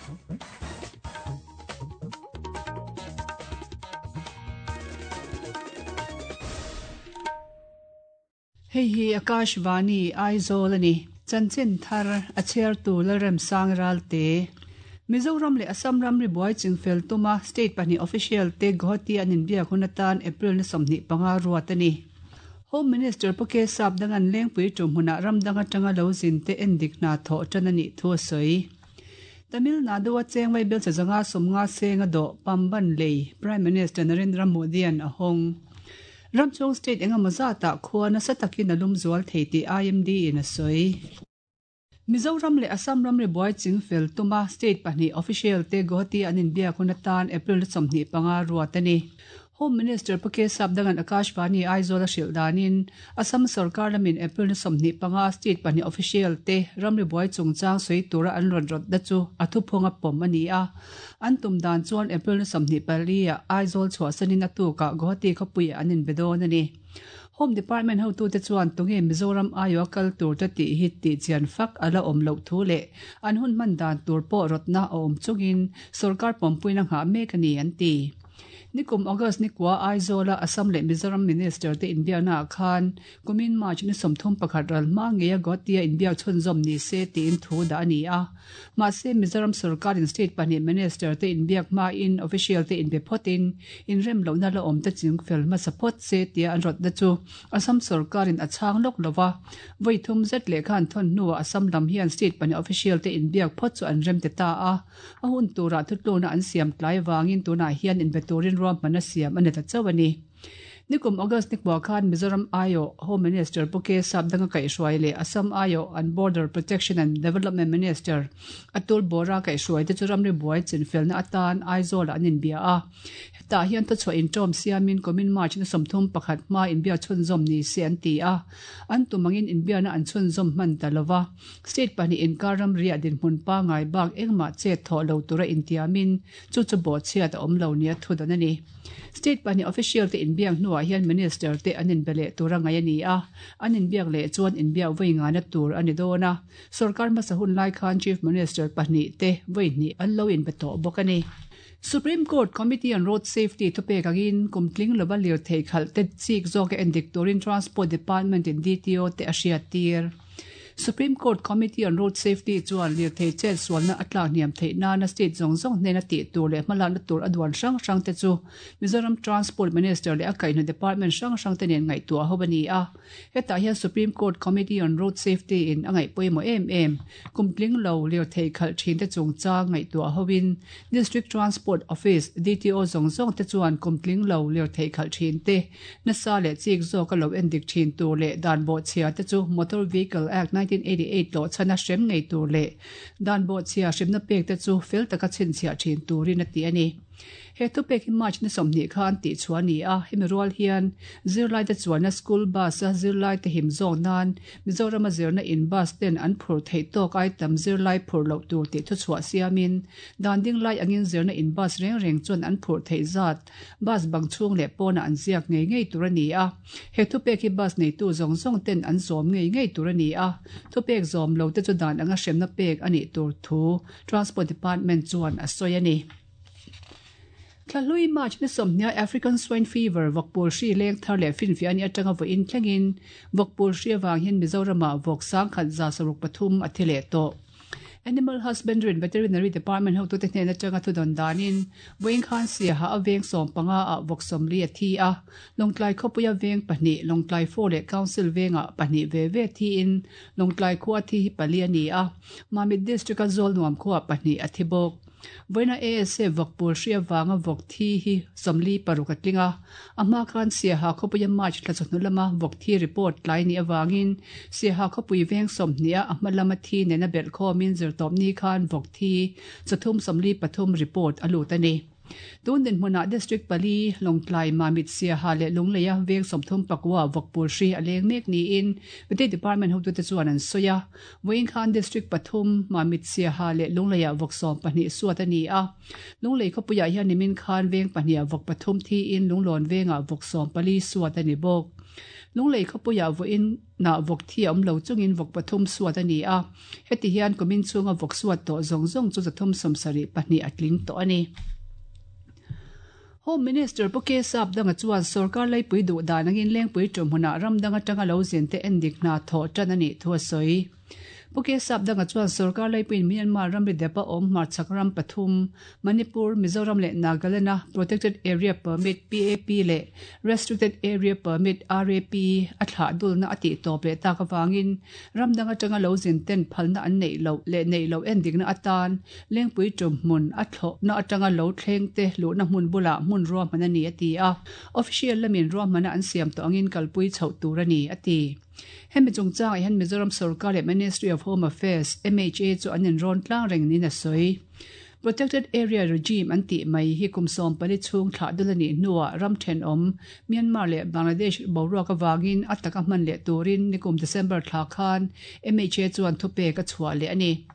Hei hi Akashvani, Aizawl a ni. Chanchin thar a chhiartu Lalremsang Ralte. Mizoram leh Assam ramri buai chingfel tuma state pahnih official te Guwahati an inbiak hun atan April ni 25 ruat a ni. Home Minister Pu K Sapdanga'n Lengpui tum hmunah ram dang atanga lo zin te endik hna thawh tan a nih thu a sawi. Tamil Nadu-a cheng vaibel che zanga 50 seng a dawh Pamban lei Prime Minister Narendra Modi-a'n a hawng. Ramchhung state engemaw zatah khua nasa takin a lum zual thei tih IMD in a sawi. Mizoram leh Assam ramri buai chingfel tuma state pahnih official te Guwahati an inbiak hun atan April 25 ruat a ni. Home Minister Pu K Sapdanga'n Akashvani Aizawl a hrilh danin Assam sorkar lamin April 25 state pahnih official te ramri buai chungchang sawi tura an rawn rawtna chu a thuphunga pawm a ni a. An tum dan chuan April ni 24 ah Aizawl chhuahsanin a tukah Guwahati khawpuiah an inbe dawn a ni. Home Department hotute chuan tunge Mizoram aiawha kal tur te tih hi tihchian fak a la awm loh thu leh an hun hman dan tur pawh rawtna a awm chungin sorkar pawmpuina nghah mek a ni an ti. Nikum August ni kua Aizawla Assam leh Mizoram Minister te inbiakna ah khan kumin March ni 31 ral hma ngeia Guwahati-a inbiak chhunzawm ni se tiin thu dah a ni a. Mahse, Mizoram sorkarin state pahnih minister te inbiak hmain official te inbe phawtin inrem lohna la awm te chingfel hmasa phawt se tia an rawtna chu Assam sorkarin a chhang lawk lo va. Vawi thum zet lehkha an thawn hnuah Assam lam hian state pahnih official te inbiak phawt chu an rem ti ta a. A hun turah thutlukna an siam tlai vangin tunah hian inbe turin ruahmanna siam a ni ta chauh a ni. Nikum August ni kua khan Mizoram aiawh Home Minister Pu K Sapdanga kaihhruai leh Assam aiawh an Border Protection and Development Minister Atul Bora kaihhruai te chu ramri buai chinfelna atan Aizawl-ah an inbia a. Hetah hian thuchhuah inṭawm siamin kumin March ni 31 hmaa inbiak chhunzawm ni se an ti a. An tum angin inbiakna an chhunzawm hman ta lo va. State pahnih inkar ramriah dinhmun pangngai bak engmah chet thawh lo tura intiamin chu chu bawhchhiat a awm lo nia thudawn a ni. State pahnih official te inbiak hnuah hian minister te an inbe leh tur a ngaih a ni a, an inbiak leh chuan inbiak vawi ngana tur a ni dawn a. Sorkar hmasa hun lai khan Chief Minister pahnih te vawi hnih an lo inbe tawh bawk a ni. Supreme Court Committee on Road Safety thupek angin kum tling lova lirthei khalh te chik zawka endik turin Transport Department in DTO te a hriattir. Supreme Court Committee on Road Safety chuan lirthei chet sualna a tlak hniam theih nana state zawng zawng hnena tih tur leh hmalakna tur a duan hrang hrang te chu Mizoram Transport Minister leh a kaihhna department hrang hrang te nen ngaihtuah ho a ni a. Hetah hian Supreme Court Committee on Road Safety in a ngaih pawimawh em em kum tling lo lirthei khalh thin te chungchang ngaihtuah hoin District Transport Office, DTO, zawng zawng te chuan kum tling lo lirthei khalh thin te Nasa leh chik zawka lo endik thin tur leh dan bawhchhia te chu Motor Vehicle Act 1988 tlawhchhana hrem ngei tur leh dan bawhchhia hremna pek te chu fel taka chhinchhiah thin turin a ti a ni. He thupek hi March ni 20 khan tihchhuah a ni a, hemi rual hian zirlaite chuanna school bus-a zirlaite him zawk nan Mizorama zirna in bus ten an phur theih tawk ai tam zirlai phur loh tur tih thuchhuah siamin dan ding lai angin zirna in bus reng reng chuan an phur theih zat Bus bang chhung leh pawnah an ziak ngei ngei tur a ni a. He thupek hi bus neitu zawng zawng ten an zawm ngei ngei tur a ni a. Thupek zawm lo te chu dan anga hremna pek a nih tur thu Transport Department chuan a sawi a ni. Thlahlui March ni 20 African Swine Fever vawkpul hri leng thar leh finfiah a nih atanga vawiin thlengin vawkpul hri avang hian Mizoramah vawk 1163 a thi leh tawh. Animal Husbandry and Veterinary Department hotute hnen atanga thudawn danin vawiin khan Siaha a veng 15 ah vawk 40 a thi a, Lawngtlai khawpuia veng pahnih, Lawngtlai 4 leh Council vengah pahnih ve ve thiin Lawngtlai khua thi hi pali a ni a, Mamit District-a Zawlnuam khuaah pahnih a thi bawk. Vawiina ASA vawk pawl hri avanga vawk thi hi 46 a tling a, a hma khan Siaha khawpuia March thla chawhnu lama vawk thi report tlai nih avangin Siaha khawpui veng 20 a hma lama thi nena belh khawmin zirtawpni khan vawk thi chathum 43 report a lut a ni. Tun dinhmunah District pali, Lawngtlai, Mamit, Siaha leh Lungleia veng 34 vawk pawl hri a leng mek niin Vety Department hotute chuan an sawi a. Vawiin khan District pathum, Mamit, Siaha leh Lungleiah vawk 12 suat a ni a. Lunglei khawpuiah hian nimin khan veng pahniha vawk pathum thiin Lunglawn vengah vawk 14 suat a ni bawk. Lunglei khawpuiah vawiin nah vawk thi a awm lo chungin vawk pathum suat a ni a, heti hian kumin chhunga vawk suat tawh zawng zawng chu 372 a tling tawh a ni. Home Minister Pu K Sapdanga chuan sorkar laipui duh dan angin Lengpui ṭawmhmunah ram dang aṭanga lo zin te endik hna thawh ṭan a nih thu a sawi. Pu K Sapdanga chuan sorkar laipuiin Myanmar ramri depa awm hmarchhak ram pathum, Manipur, Mizoram leh Nagaland-a Protected Area Permit, PAP, leh Restricted Area Permit, RAP, a thlah dulna a tih tawp leh tak avangin ram dang atanga lo zin ten phalna an neih loh leh neih loh endikna atan Lengpui ṭumhmun a thlawhna atanga lo thleng te luhna hmun bulah hmun ruahman a ni a ti a, official lamin ruahmana an siam tawh angin kalpui chhoh tur a ni a ti. Hemi chungchangah hian Mizoram sorkar leh Ministry of Home Affairs, MHA, chu an inrawn tlang reng niin a sawi. Protected Area Regime an tih mai hi kum 14 chhung thlah dul a nih hnuah ram thenawm Myanmar leh Bangladesh boruak avangin a taka hman leh turin nikum December thla khan MHA chuan thupek a chhuah leh a ni.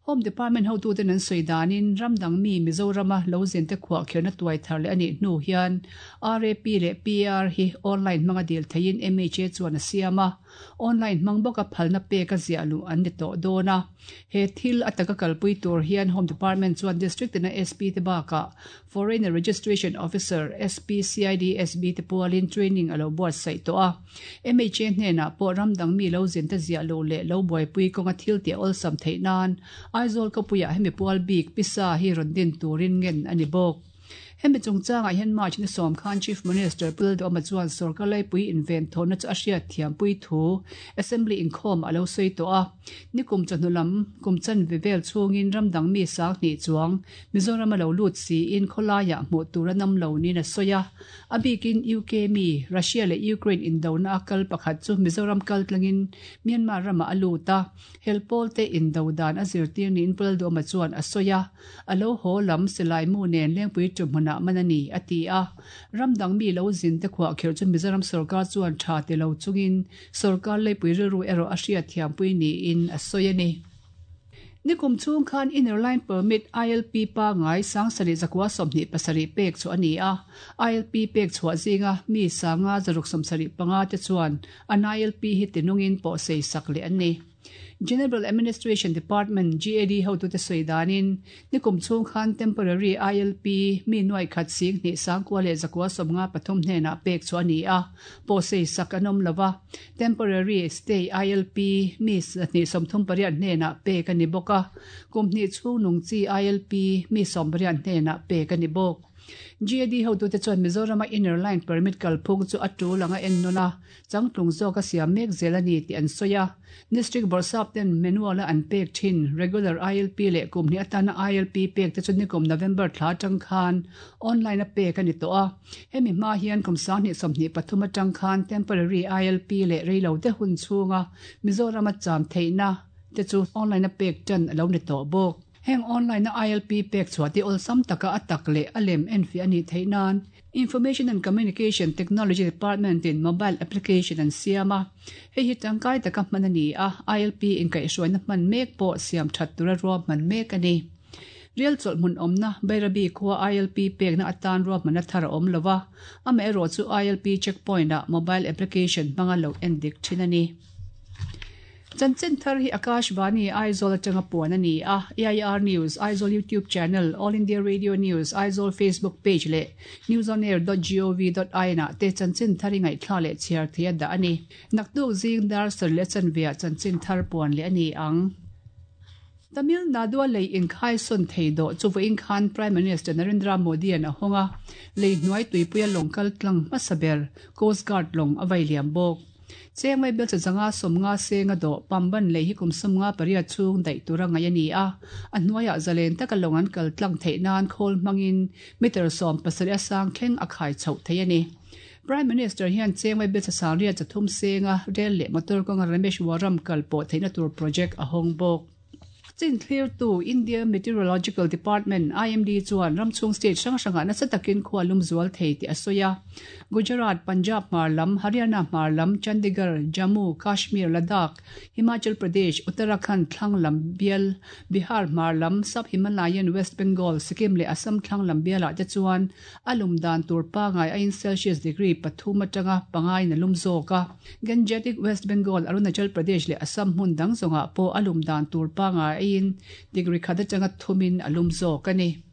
Home Department hotuten an sawi danin ram dang mi Mizorama lo zinte khuahkhirhna tuai thar leh a nih hnu hian RAP leh PR hi online hmanga dil theiin MHA chuan a siam a, online hmang bawka phalna pek a ziah luh an ni tawh dawn a. He thil a taka kalpui tur hian Home Department chuan District tina SP te bakah Foreigner Registration Officer, SP, CID, SB te pualin training a lo buatsaih tawh a. MHA hnenah pawh ram dang mi lo zin te ziah luh leh lo buaipui kawnga thil tih a awlsam theih nan Aizawl khawpuiah hemi pual bik pisa hi rawn din turin ngen a ni bawk. Hemi chungchangah hian March ni sawm khan Chief Minister Pu Lalduhoma chuan sorkar laipui inven thawhna chu a hriat thiampui thu Assembly inkhawm a lo sawi tawh a. Nikum chawhnu lam kum chanve vel chhungin ram dang mi sanghnih chuang Mizoram a lo lut siin khawlaiah hmuh tur a nam lo niin a sawi a. A bikin UK mi Russia leh Ukraine indona a kal pakhat chu Mizoram kal tlangin Myanmar ramah a lut a, hel pawlte indo dan a zirtir niin Pu Lalduhoma chuan a sawi a. A lo haw lam silai mu nen Lengpui ṭu hmunah man a ni, a ti a. Ram dang mi lo zin te khuah kherh chu Mizoram sorkar chuan ṭha ti lo chungin sorkar leipui rilru erawh a hriatthiampui niin a sawi a ni. Nikum chhung khan Inner Line Permit, ILP, pangai 7727 pek chhuah a ni a. ILP pek chhuah zinga mi 575 te chuan an ILP hi tinungin pawhsei sak leh an ni. General Administration Department, GAD, hotute sawi danin, nikum chhung khan Temporary ILP mi nuai khat sing hnih sangkua leh zakua 53 hnenah pek chu a ni a, pawhsei sak an awm lo va. Temporary Stay ILP mi 238 hnenah pek a ni bawk a, kum hnih chhung nung chi ILP mi 18 hnenah pek a ni bawk. GAD hotute chuan Mizorama Inner Line Permit kalphung chu a tul anga ennawn a, Changtlung zawk a siam mek zel a ni tih an sawi a. District Bawrhsap ten manual a an pek thin regular ILP leh kum hnih atana ILP pek te chu nikum November thla atang khan online a pek a ni tawh a. Hemi hma hian kum 2023 atang khan temporary ILP leh reilo te hun chhunga Mizoram a cham theihna te chu online a pek tan a lo ni tawh bawk. Heng online a ILP pek chhuah te awlsam taka a tak leh a lem enfiah a nih theih nan Information and Communication Technology Department in mobile application an siam a, hei hi tangkai taka hman a ni a, ILP inkaihhruaina hman mek pawh siam that tura ruahman mek a ni. Rial chawlh hmun awmna Bairabi khua ILP pekna atan ruahmanna thar a awm lo va, amaherawh chu ILP checkpoint ah mobile application hmanga lo endik thin a ni. Chanchin thar hi Akashvani Aizawl atanga puan a ni a, AIR News, Aizawl YouTube Channel, All India Radio News, Aizawl Facebook Page leh newsonair dot gov dot in ah te chanchin thar i ngaihthla leh chhiar thei a dah a ni. Naktuk zing dar sarih leh chanveah chanchin thar puan leh a ni ang. Tamil Nadu-a lei inkhai sawn thei dawh chu vawiin khan Prime Minister Narendra Modi-a'n a hawng a, lei hnuai tuipuia lawng kal tlang hmasa ber Coast Guard lawng a vai liam bawk. Cheng mai bel chazanga 50 senga dawh Pamban lei hi kum 58 chhung daih tura ngaih a ni a, a hnuaiah zalen taka lawng an kal tlang theih nan khawl hmangin meter 17 a sang thleng a khai chhoh thei a ni. Prime Minister hian cheng mai bel chasang riat 3 senga rel leh motor kawnga Rameshwaram kal pawh theihna tur project a hawng bawk. Chin thlirtu India Meteorological Department, IMD, chuan ramchhung state hrang hrangah nasa takin khua lum zual thei tih a sawi a. Gujarat, Punjab hmar lam, Haryana hmar lam, Chandigarh, Jammu, Kashmir, Ladakh, Himachal Pradesh, Uttarakhand thlang lam bial, Bihar hmar lam, Sub-Himalayan West Bengal, Sikkim leh Assam thlang lam bialah te chuan a lum dan tur pangai aiin Celsius degree pathum atanga pangaiin a lum zawk a. Gangetic West Bengal, Arunachal Pradesh leh Assam hmun dang zawngah pawh a lum dan tur pangai aiin degree khat atanga thumin a lum zawk a ni.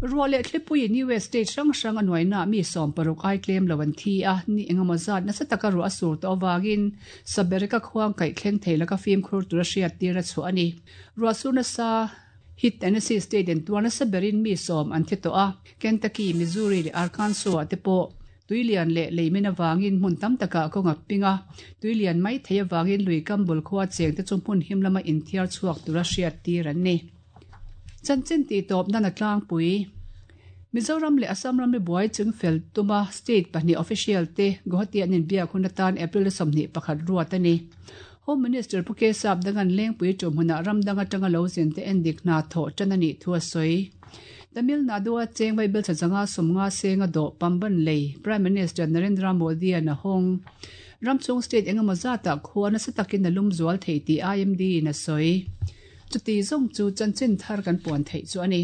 Ruah leh thlipuiin US state hrang hrang a nuainaah mi 60 ai tlem lo an thi a, ni engemaw zat nasa taka ruah a sur tawh avangin Sabereka khuang kaih thleng thei laka fimkhur tura hriattir a chhuah a ni. Ruah sur nasa hi Tennessee state in tuar nasa berin mi sawm an thi tawh a, Kentucky, Missouri leh Arkansas ah te pawh tuilian leh leimin avangin hmun tam takah kawng a ping a, tuilian mai thei avangin lui kam bul khua cheng te chu hmun him lama inthiar chhuak tura hriattir an ni. Chanchin tih tawp nan a tlangpui. Mizoram leh Assam ramri buai chingfel tuma state pahnih official te Guwahati an inbiak hun atan April 21 ruat a ni. Home Minister Pu Kesap Dangan Lengpui ṭumhmunah ram dang aṭanga lo zin te endik hna thawh ṭan a nih thu a sawi. Tamil Nadu-a cheng vaibel thla zanga 50 senga dawh Pamban lei Prime Minister Narendra Modi-a'n a hawng. Ramchhung state engemaw zatah khua nasa takin a lum zual thei tih IMD-in a sawi. Chuti zawng chu chanchin thar kan puan theih chu a ni.